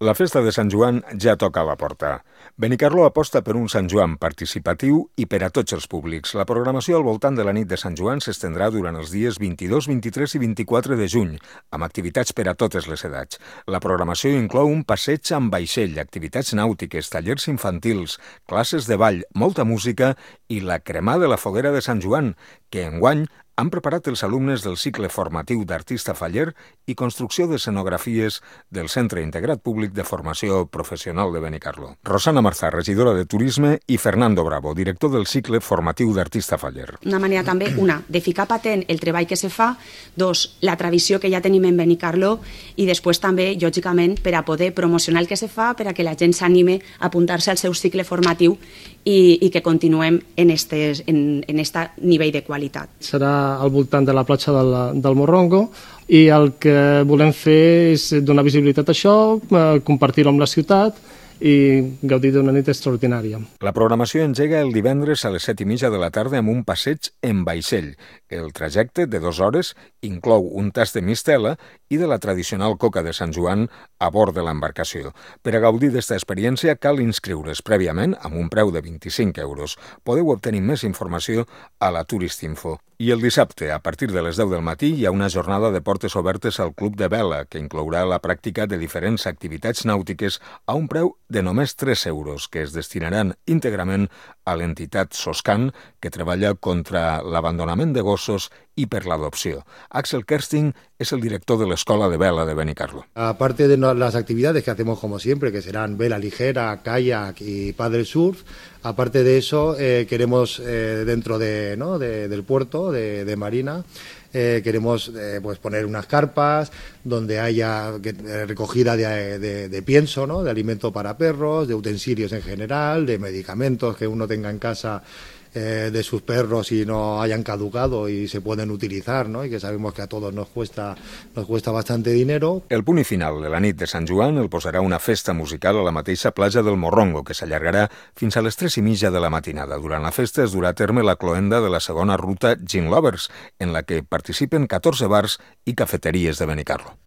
La festa de Sant Joan ja toca a la porta. Benicarló aposta per un Sant Joan participatiu i per a tots els públics. La programació al voltant de la nit de Sant Joan s'estendrà durant els dies 22, 23 i 24 de juny, amb activitats per a totes les edats. La programació inclou un passeig amb vaixell, activitats nàutiques, tallers infantils, classes de ball, molta música i la cremà de la foguera de Sant Joan, que enguany han preparat els alumnes del cicle formatiu d'artista faller i construcció d'escenografies del Centre Integrat Públic de Formació Professional de Benicarló. Rosana Marzà, regidora de Turisme, i Fernando Bravo, director del cicle formatiu d'artista faller. Una manera també, de ficar patent el treball que se fa, dos, la tradició que ja tenim en Benicarló i després també, lògicament, per a poder promocionar el que se fa, per a que la gent s'anime a apuntar-se al seu cicle formatiu i que continuem en este nivell de qualitat. Serà al voltant de la platja del Morrongo i el que volem fer és donar visibilitat a això, compartir-ho amb la ciutat i gaudir d'una nit extraordinària. La programació engega el divendres a les 7:30 de la tarda amb un passeig en vaixell. El trajecte, de 2 hores, inclou un tast de mistela i de la tradicional coca de Sant Joan a bord de l'embarcació. Per a gaudir d'esta experiència cal inscriure's prèviament amb un preu de 25 euros. Podeu obtenir més informació a la Turistinfo. I el dissabte, a partir de les 10 del matí, hi ha una jornada de portes obertes al Club de Vela, que inclourà la pràctica de diferents activitats nàutiques a un preu de només 3 euros, que es destinaran íntegrament a l'entitat Soscan, que treballa contra l'abandonament de gossos y per l'adopció. Axel Kersting es el director de la Escola de Vela de Benicarló. Aparte de las actividades que hacemos como siempre, que serán vela ligera, kayak y paddle surf, aparte de eso queremos dentro del puerto de Marina queremos pues poner unas carpas donde haya recogida de pienso, ¿no? De alimento para perros, de utensilios en general, de medicamentos que uno tenga en casa de sus perros y no hayan caducado y se pueden utilizar, ¿no? Y que sabemos que a todos nos cuesta bastante dinero. El punt final de la nit de Sant Joan el posarà una festa musical a la mateixa platja del Morrongo, que s'allargarà fins a les 3:30 de la matinada. Durant la festa es durà a terme la cloenda de la segona ruta Gin Lovers, en la que participen 14 bars i cafeteries de Benicarló.